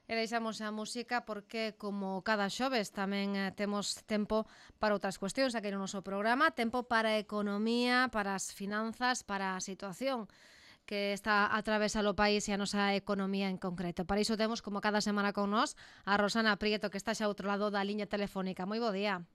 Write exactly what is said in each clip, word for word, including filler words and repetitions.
E deixamos a música porque, como cada xoves, tamén eh, temos tempo para outras cuestións aquí no noso programa, tempo para a economía, para as finanzas, para a situación que está a atravesar o país e a nosa economía en concreto. Para iso temos, como cada semana con nós, a Rosana Prieto, que está xa ao outro lado da liña telefónica. Moi bo día.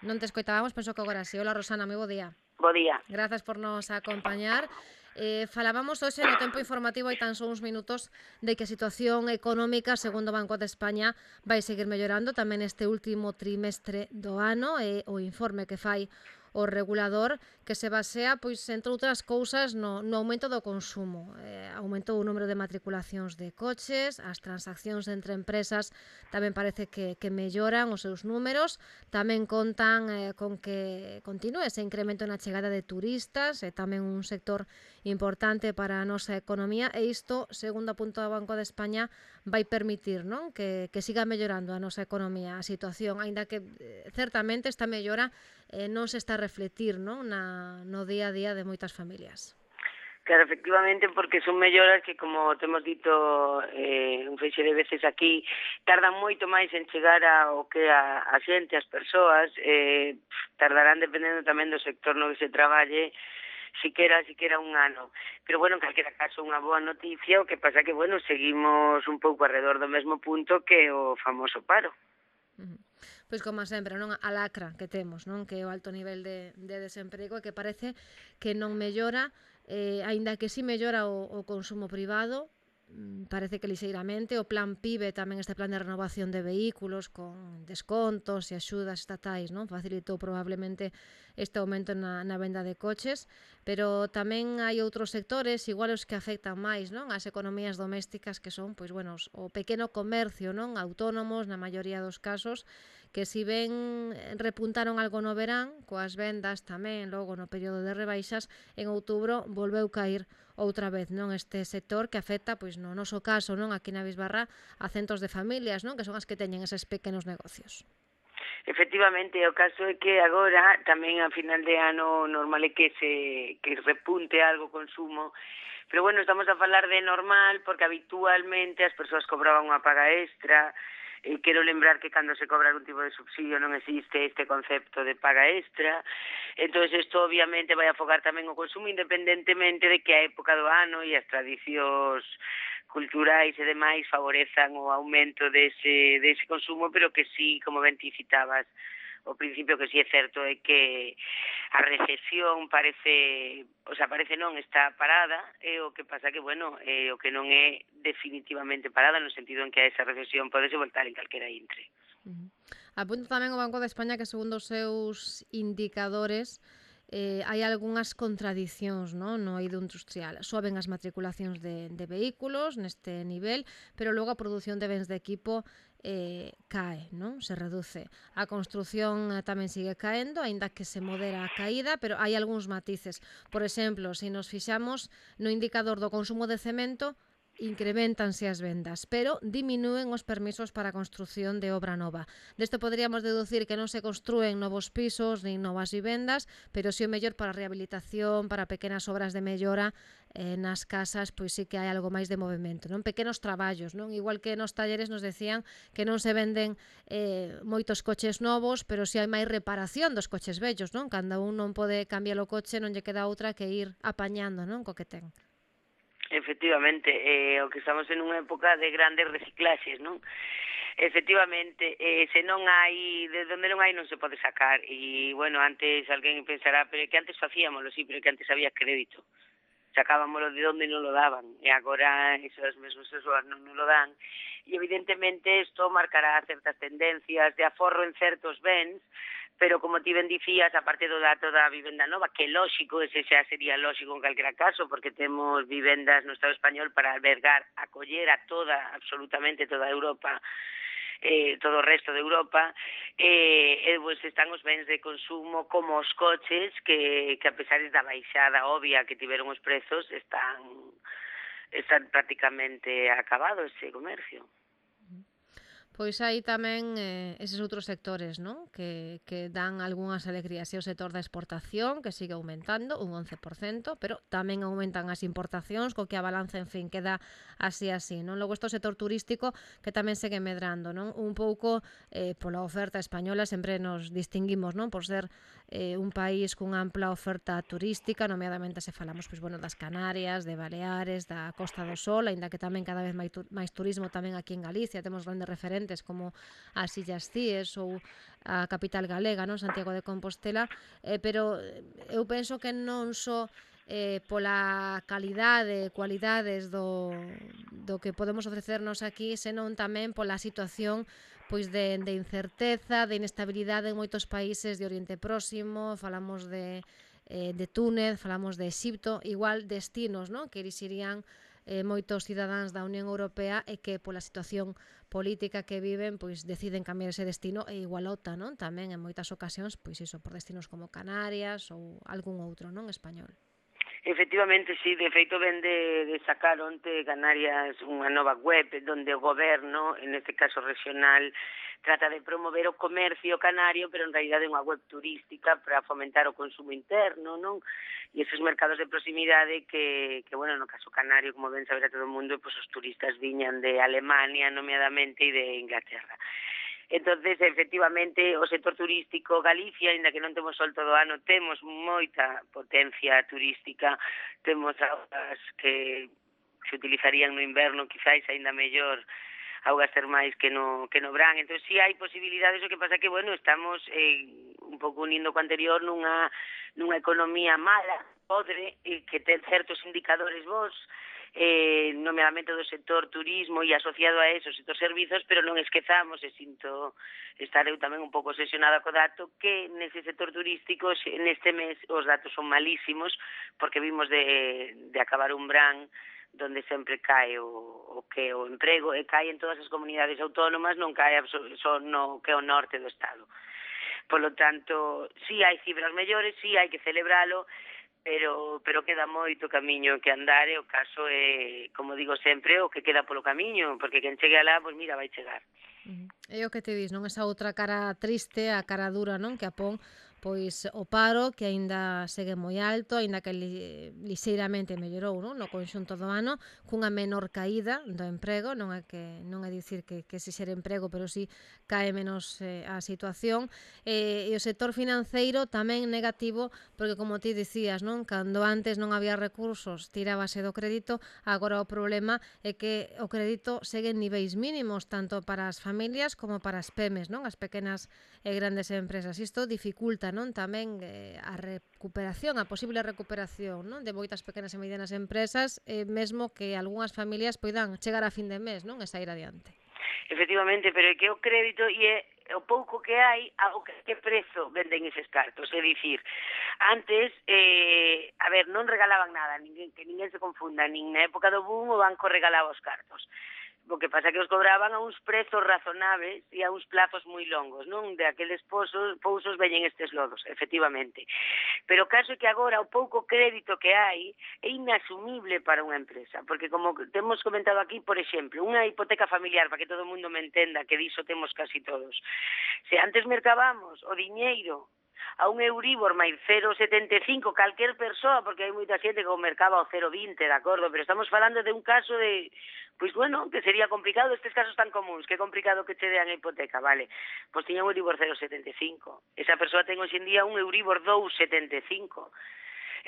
Non te escoitábamos, penso que agora sí. Hola, Rosana, moi bo día. Bo día. Grazas por nos acompañar. Eh, falábamos hoxe no tempo informativo hai tan só uns minutos de que a situación económica, segundo o Banco de España, vai seguir mellorando tamén este último trimestre do ano e o informe que fai o regulador que se basea, pois, entre outras cousas, no, no aumento do consumo. Eh, aumentou o número de matriculacións de coches, as transaccións entre empresas tamén parece que, que melloran os seus números, tamén contan eh, con que continúe ese incremento na chegada de turistas, e tamén un sector importante para a nosa economía, e isto, segundo apunta o Banco de España, vai permitir, non, que, que siga mellorando a nosa economía, a situación, aínda que eh, certamente esta mellora eh, non se está a refletir, non, na, no día a día de moitas familias. Claro, efectivamente, porque son melloras que, como temos dito eh, un feixe de veces aquí, tardan moito máis en chegar ao que a, a xente, as persoas, eh, tardarán, dependendo tamén do sector no que se traballe, siquera, siquera un ano. Pero, bueno, en calquera caso, unha boa noticia, o que pasa que, bueno, seguimos un pouco alrededor do mesmo punto que o famoso paro. Uh -huh. Pois como sempre, non, a lacra que temos, non, que é o alto nivel de, de desemprego e que parece que non mellora, eh, aínda que si mellora o, o consumo privado, parece que lixeiramente. O plan PIBE, tamén este plan de renovación de vehículos con descontos e axudas estatais, non, facilitou probablemente este aumento na, na venda de coches, pero tamén hai outros sectores, igual os que afectan máis, non, as economías domésticas, que son, pois, bueno, o pequeno comercio, non, autónomos na maioría dos casos, que si ben repuntaron algo no verán, coas vendas tamén logo no período de rebaixas, en outubro volveu cair outra vez, non, este sector que afecta, pois no noso caso, non, aquí na Bisbarra, a centos de familias, non, que son as que teñen eses pequenos negocios. Efectivamente, o caso é que agora, tamén a final de ano, normal é que se que repunte algo o consumo, pero bueno, estamos a falar de normal porque habitualmente as persoas cobraban unha paga extra. Eh, quero lembrar que cando se cobra algún tipo de subsidio non existe este concepto de paga extra, entón isto obviamente vai afogar tamén o consumo independentemente de que a época do ano e as tradicións culturais e demais favorezan o aumento dese, dese consumo, pero que sí, como ben ti citabas, o principio que sí é certo é que a recesión parece, o sea, parece non, está parada, e o que pasa que, bueno, eh, o que non é definitivamente parada, no sentido en que a esa recesión podese voltar en calquera intre. Uh -huh. Apunta tamén o Banco de España que, segundo os seus indicadores, eh, hai algunhas contradicións, non, no eido industrial. Soben as matriculacións de, de vehículos neste nivel, pero logo a produción de bens de equipo eh, cae, non, se reduce. A construción eh, tamén sigue caendo, aínda que se modera a caída, pero hai algúns matices. Por exemplo, se nos fixamos no indicador do consumo de cemento, incrementanse as vendas, pero diminúen os permisos para a construción de obra nova. Desto poderíamos deducir que non se construen novos pisos nin novas vivendas, pero si o mellor para a rehabilitación, para pequenas obras de mellora eh, nas casas, pois sí que hai algo máis de movimento, non, pequenos traballos, non, igual que nos talleres nos decían que non se venden eh, moitos coches novos, pero si hai máis reparación dos coches vellos, non, cando un non pode cambiar o coche non lle queda outra que ir apañando, non, co que ten. Efectivamente, eh, o que estamos en unha época de grandes reciclaxes, non? Efectivamente, eh, se non hai, de onde non hai non se pode sacar, e, bueno, antes alguén pensará, pero que antes facíamoslo, sí, pero que antes había crédito, sacábamoslo de onde non lo daban, e agora esas mesmas persoas non nos lo dan, e evidentemente isto marcará certas tendencias de aforro en certos bens, pero como ti ben dicías, a parte do dato da vivenda nova, que lógico, ese xa sería lógico en calquera caso, porque temos vivendas no Estado español para albergar, acoller a toda, absolutamente toda Europa, eh, todo o resto de Europa, eh, e pues, están os bens de consumo como os coches, que, que a pesar da baixada obvia que tiveron os prezos, están, están prácticamente acabado ese comercio. Pois hai tamén eh, eses outros sectores, non? Que, que dan algunhas alegrías. E o sector da exportación, que sigue aumentando, un once por cento, pero tamén aumentan as importacións, co que a balanza, en fin, queda así así, non? Logo, este o sector turístico, que tamén segue medrando, non? Un pouco eh, pola oferta española, sempre nos distinguimos, non? Por ser eh, un país cunha ampla oferta turística, nomeadamente se falamos, pois, bueno, das Canarias, de Baleares, da Costa do Sol, aínda que tamén cada vez máis, tu máis turismo tamén aquí en Galicia, temos grandes referentes como as Illas Cíes ou a capital galega, non, Santiago de Compostela, eh, pero eu penso que non só eh, pola calidade, cualidades do, do que podemos ofrecernos aquí, senón tamén pola situación pois de, de incerteza, de inestabilidade en moitos países de Oriente Próximo, falamos de, eh, de Túnez, falamos de Exipto, igual destinos, non, que elixirían eh, moitos cidadáns da Unión Europea e que pola situación política que viven, pois deciden cambiar ese destino e igual opta, non? Tamén en moitas ocasións, pois iso, por destinos como Canarias ou algún outro, non, español. Efectivamente, sí, de feito ven de, de sacar onte Canarias unha nova web donde o goberno, en este caso regional, trata de promover o comercio canario, pero en realidad é unha web turística para fomentar o consumo interno, non? E esos mercados de proximidade que, que bueno, no caso canario, como ben saber a todo o mundo, pues os turistas viñan de Alemania, nomeadamente, e de Inglaterra. Entonces, efectivamente, o sector turístico Galicia, ainda que non temos sol todo o ano, temos moita potencia turística, temos augas que se utilizarían no inverno, quizáis aínda mellor, augas termais que no, que no verán. Entón, si sí hai posibilidades, o que pasa que, bueno, estamos eh, un pouco unindo co anterior nunha, nunha economía mala, podre, eh, que ten certos indicadores vos, eh, nomeadamente do sector turismo e asociado a eso, o sector servizos, pero non esquezamos, e sinto estar eu tamén un pouco obsesionada co dato, que nese sector turístico neste mes os datos son malísimos, porque vimos de, de acabar un verán donde sempre cae o, o que o emprego, e cae en todas as comunidades autónomas, non cae só no que é o norte do Estado. Por lo tanto, sí hai cifras mellores, sí hai que celebralo, pero pero queda moito camiño que andar, e o caso é, como digo sempre, o que queda polo camiño, porque quen chegue alá, pois mira, vai chegar. Uh -huh. É o que te dis, non? Esa outra cara triste, a cara dura, non? Que apón pois o paro, que aínda segue moi alto, aínda que li, lixeiramente mellorou, non? No conxunto do ano, cunha menor caída do emprego, non é que non é dicir que, que se xere emprego, pero si cae menos eh, a situación, eh, e o sector financeiro tamén negativo, porque como ti dicías, non? Cando antes non había recursos, tirábase do crédito, agora o problema é que o crédito segue en niveis mínimos, tanto para as familias como para as pemes, non? As pequenas e grandes empresas. Isto dificulta, non, tamén eh, a recuperación, a posible recuperación, non, de moitas pequenas e medianas empresas, eh, mesmo que algunhas familias poidan chegar a fin de mes, non, e sair adiante. Efectivamente, pero é que o crédito e é o pouco que hai, a o que, que prezo venden eses cartos, é dicir, antes, eh, a ver, non regalaban nada, ninguén, que ninguén se confunda, nin na época do boom o banco regalaba os cartos. O que pasa que os cobraban a uns prezos razonables e a uns plazos moi longos, non? De aqueles pousos, pousos veñen estes lodos, efectivamente. Pero o caso é que agora o pouco crédito que hai é inasumible para unha empresa, porque como temos comentado aquí, por exemplo, unha hipoteca familiar, para que todo o mundo me entenda, que diso temos casi todos. Se antes mercábamos o diñeiro a un Euribor máis cero vírgula setenta e cinco calquer persoa, porque hai moita xente que o mercaba ao cero vírgula vinte, de acordo, pero estamos falando de un caso de, pois bueno, que sería complicado, estes casos tan comuns, que é complicado que che dean a hipoteca, vale, pois tiña un Euribor cero vírgula setenta e cinco, esa persoa ten hoxe en día un Euribor dous vírgula setenta e cinco,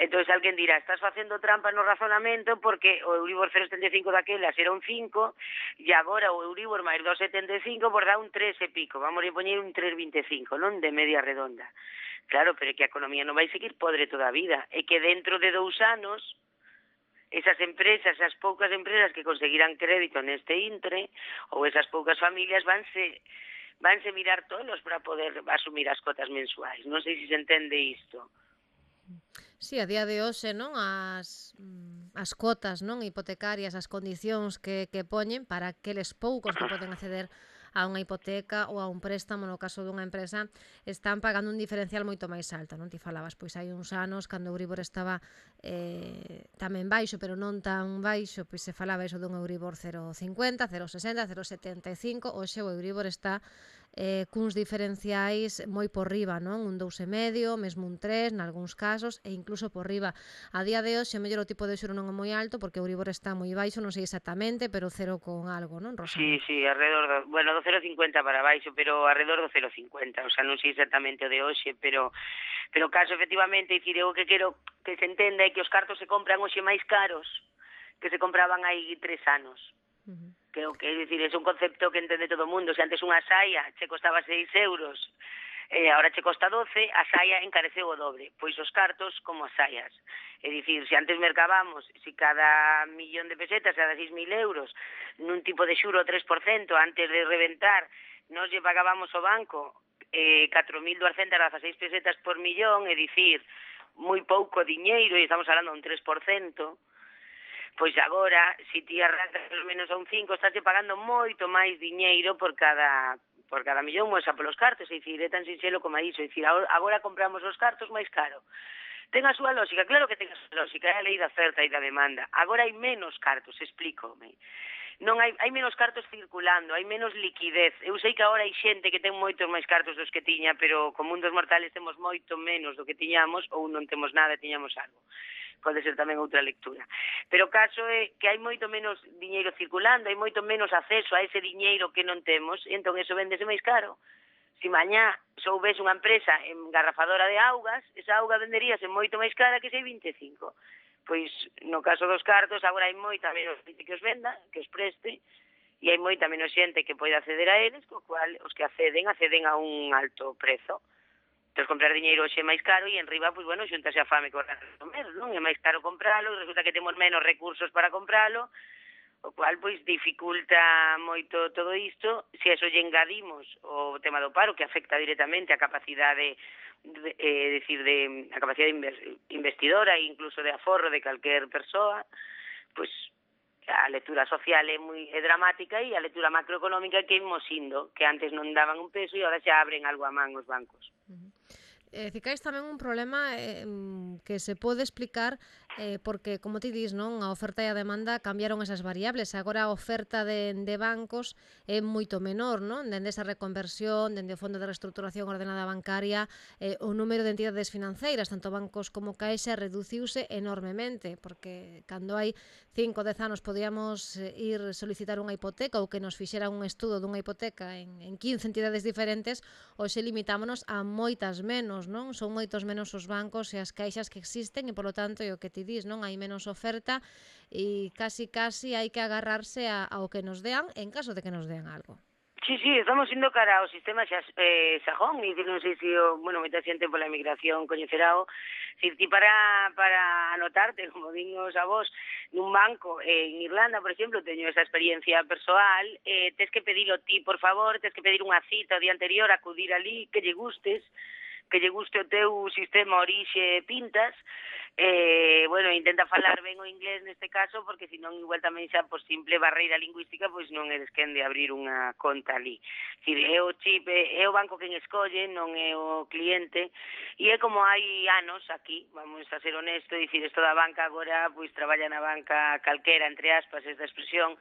entón alguén dirá, estás facendo trampa no razonamento porque o Euribor cero vírgula setenta e cinco daquelas era un cinco e agora o Euribor máis dous vírgula setenta e cinco por dá un tres e pico, vamos a poñer un tres vírgula vinte e cinco, non, de media redonda. Claro, pero é que a economía non vai seguir podre toda a vida, é que dentro de dous anos esas empresas, esas poucas empresas que conseguirán crédito neste intre, ou esas poucas familias vanse vanse mirar tolos para poder asumir as cotas mensuais. Non sei se se entende isto. Sí, a día de hoxe, non, as as cotas, non, hipotecarias, as condicións que, que poñen para aqueles poucos que poden acceder a unha hipoteca ou a un préstamo no caso dunha empresa, están pagando un diferencial moito máis alto, non? Ti falabas, pois hai uns anos, cando o Euribor estaba eh, tamén baixo, pero non tan baixo, pois se falaba iso dun Euribor cero coma cincuenta, cero coma sesenta, cero coma setenta e cinco, hoxe o Euribor está eh, cuns diferenciais moi por riba, non? Un dous e medio, mesmo un tres, nalgúns casos, e incluso por riba. A día de hoxe, o mellor o tipo de xuro non é moi alto, porque o Euribor está moi baixo, non sei exactamente, pero cero con algo, non, Rosana? Sí, sí, alrededor do, bueno, do cero coma cincuenta para baixo, pero alrededor do cero coma cincuenta, o sea, non sei exactamente o de hoxe, pero pero caso efectivamente, dicir, eu que quero que se entenda é que os cartos se compran hoxe máis caros que se compraban hai tres anos. Uh-huh. Que o que, é dicir, é un concepto que entende todo o mundo. Se antes unha saia che costaba seis euros, eh, agora che costa doce, a saia encareceu o doble. Pois os cartos como as saias. É dicir, se antes mercábamos, se cada millón de pesetas, cada seis mil euros, nun tipo de xuro tres por cento, antes de reventar, nos lle pagábamos ao banco eh, catro mil duascentas dezaseis pesetas por millón, é dicir, moi pouco diñeiro, e estamos falando un tres por cento, pois agora, se ti arrancas pelo menos a un cinco, estás pagando moito máis diñeiro por cada por cada millón, moesa polos cartos, é dicir, é tan sinxelo como iso, é dicir, agora compramos os cartos máis caro. Ten a súa lógica, claro que ten a súa lógica, é a lei da oferta e da demanda. Agora hai menos cartos, explícome. Non hai, hai menos cartos circulando, hai menos liquidez. Eu sei que agora hai xente que ten moitos máis cartos dos que tiña, pero como un dos mortales temos moito menos do que tiñamos, ou non temos nada, tiñamos algo. Pode ser tamén outra lectura. Pero o caso é que hai moito menos diñeiro circulando, hai moito menos acceso a ese diñeiro que non temos, e entón eso vendese máis caro. Se mañá soubese unha empresa engarrafadora de augas, esa auga venderíase moito máis cara que sei vinte e cinco. Pois no caso dos cartos, agora hai moita menos xente que os venda, que os preste, e hai moita menos xente que pode acceder a eles, co cual os que acceden, acceden a un alto prezo. Entón, comprar diñeiro hoxe é máis caro e en riba, pois, bueno, xuntase a fame con ganas de comer, non? É máis caro compralo, e resulta que temos menos recursos para compralo, o cual, pois, dificulta moito todo isto. Se eso lle engadimos o tema do paro, que afecta directamente a capacidade, de, eh, decir, de, a capacidade investidora e incluso de aforro de calquer persoa, pois, a lectura social é moi é dramática e a lectura macroeconómica que imos indo, que antes non daban un peso e agora xa abren algo a man os bancos. Uh-huh. Eh, cicais tamén un problema eh, que se pode explicar eh, porque, como ti dis, non, a oferta e a demanda cambiaron esas variables. Agora a oferta de, de bancos é moito menor, non? Dende esa reconversión, dende o Fondo de Reestructuración Ordenada Bancaria, eh, o número de entidades financeiras, tanto bancos como Caixa, reduciuse enormemente, porque cando hai cinco, dez anos podíamos ir solicitar unha hipoteca ou que nos fixera un estudo dunha hipoteca en, en quince entidades diferentes, hoxe limitámonos a moitas menos, non? Son moitos menos os bancos e as caixas que existen e, polo tanto, é o que ti dis, non? Hai menos oferta e casi casi hai que agarrarse a, ao que nos dean en caso de que nos dean algo. Sí, sí, estamos indo cara ao sistema xa, eh, sajón, e non sei se, o, bueno, moita xente pola emigración coñecerao, se ti para, para anotarte, como din os avós, nun banco, eh, en Irlanda, por exemplo, teño esa experiencia persoal, eh, tes que pedilo ti, por favor, tes que pedir unha cita o día anterior, acudir ali, que lle gustes, que lle guste o teu sistema orixe pintas, eh, bueno, intenta falar ben o inglés neste caso, porque senón igual tamén xa por simple barreira lingüística, pois non eres quen de abrir unha conta ali. Dicir, é o chip, é o banco quen escolle, non é o cliente, e é como hai anos aquí, vamos a ser honesto, dicir, isto da banca agora, pois traballa na banca calquera, entre aspas, esta expresión,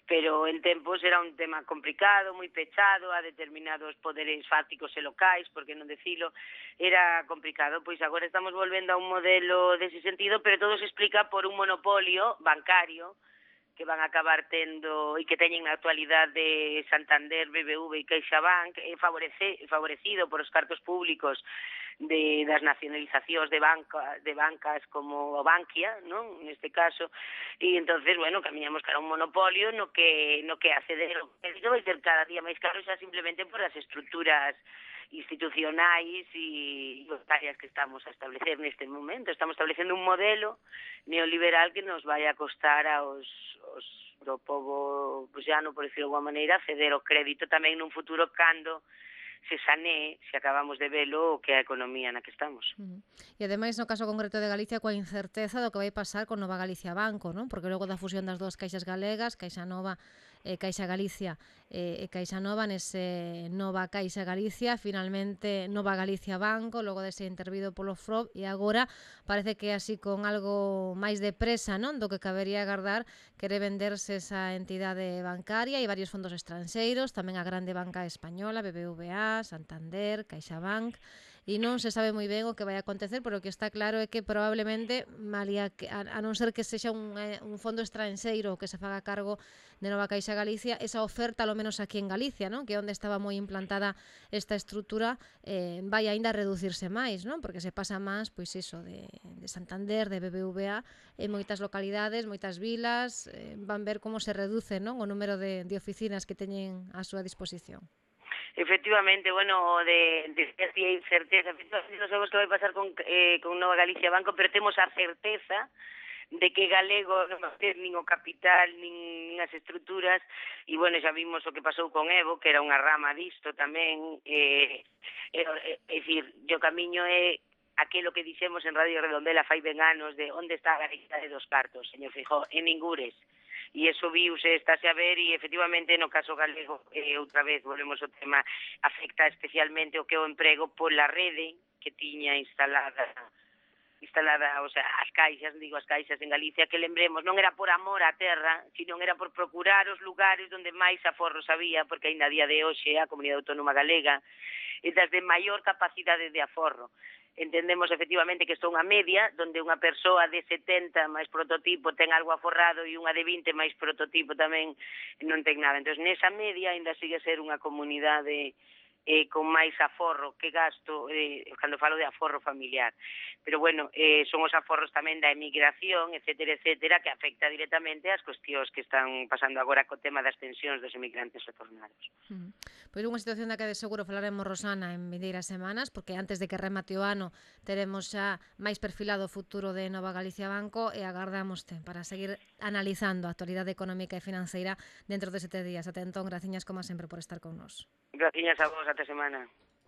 pero en tempos era un tema complicado, moi pechado a determinados poderes fácticos e locais, porque non decilo, era complicado. Pois agora estamos volvendo a un modelo dese sentido, pero todo se explica por un monopolio bancario que van a acabar tendo e que teñen na actualidade Santander, B B V e CaixaBank, é favorece, favorecido por os cartos públicos de das nacionalizacións de banca de bancas como Bankia, non? Neste caso, e entonces, bueno, camiñamos cara a un monopolio no que no que acceder ao crédito vai ser cada día máis caro xa simplemente por as estruturas institucionais e bancarias que estamos a establecer neste momento. Estamos establecendo un modelo neoliberal que nos vai a costar aos, aos do povo buxano, por decirlo de alguma maneira, ceder o crédito tamén nun futuro cando se sanee, se acabamos de velo, o que é a economía na que estamos. Uh-huh. E ademais, no caso concreto de Galicia, coa incerteza do que vai pasar con Nova Galicia Banco, non? Porque logo da fusión das dúas caixas galegas, Caixa Nova eh, Caixa Galicia e eh, Caixa Nova, nese Nova Caixa Galicia, finalmente Nova Galicia Banco, logo de ser intervido polo F R O B, e agora parece que así con algo máis de presa, non, do que cabería agardar, quere venderse esa entidade bancaria e varios fondos estranxeiros, tamén a grande banca española, B B V A, Santander, CaixaBank, e non se sabe moi ben o que vai acontecer, pero o que está claro é que probablemente, malia que, a, a non ser que sexa un, eh, un fondo estranxeiro que se faga cargo de Nova Caixa Galicia, esa oferta, ao menos aquí en Galicia, non, que é onde estaba moi implantada esta estrutura, eh, vai aínda a reducirse máis, non, porque se pasa máis, pois iso, de, de Santander, de B B V A, en moitas localidades, moitas vilas, eh, van ver como se reduce, non, o número de, de oficinas que teñen á súa disposición. Efectivamente, bueno, de, de, de certeza, efectivamente non sabemos que vai pasar con, eh, con Nova Galicia Banco, pero temos a certeza de que galego non vai ter nin o capital, nin, nin as estruturas, e, bueno, xa vimos o que pasou con Evo, que era unha rama disto tamén, eh, é, é, é dicir, o camiño é aquilo que dixemos en Radio Redondela fai ben anos de onde está a Galicia de dos cartos, señor Feijóo, en ningures. E iso viuse, estáse a ver, e efectivamente no caso galego, eh, outra vez volvemos ao tema, afecta especialmente o que é o emprego pola rede que tiña instalada instalada, o sea, as caixas, digo as caixas en Galicia, que lembremos, non era por amor á terra, sino era por procurar os lugares onde máis aforros había, porque aínda a día de hoxe a Comunidade Autónoma Galega é das de maior capacidade de aforro. Entendemos efectivamente que isto é unha media, donde unha persoa de setenta máis prototipo ten algo aforrado e unha de vinte máis prototipo tamén non ten nada. Entón, nesa media ainda sigue ser unha comunidade eh, con máis aforro que gasto, eh, cando falo de aforro familiar. Pero, bueno, eh, son os aforros tamén da emigración, etcétera, etcétera, que afecta directamente ás cuestións que están pasando agora co tema das pensións dos emigrantes retornados. Mm. Pois unha situación da que de seguro falaremos, Rosana, en vindeiras semanas, porque antes de que remate o ano teremos xa máis perfilado o futuro de Nova Galicia Banco e agardamoste para seguir analizando a actualidade económica e financeira dentro de sete días. Até entón, graciñas como sempre por estar con nós. Graciñas a vos, até semana.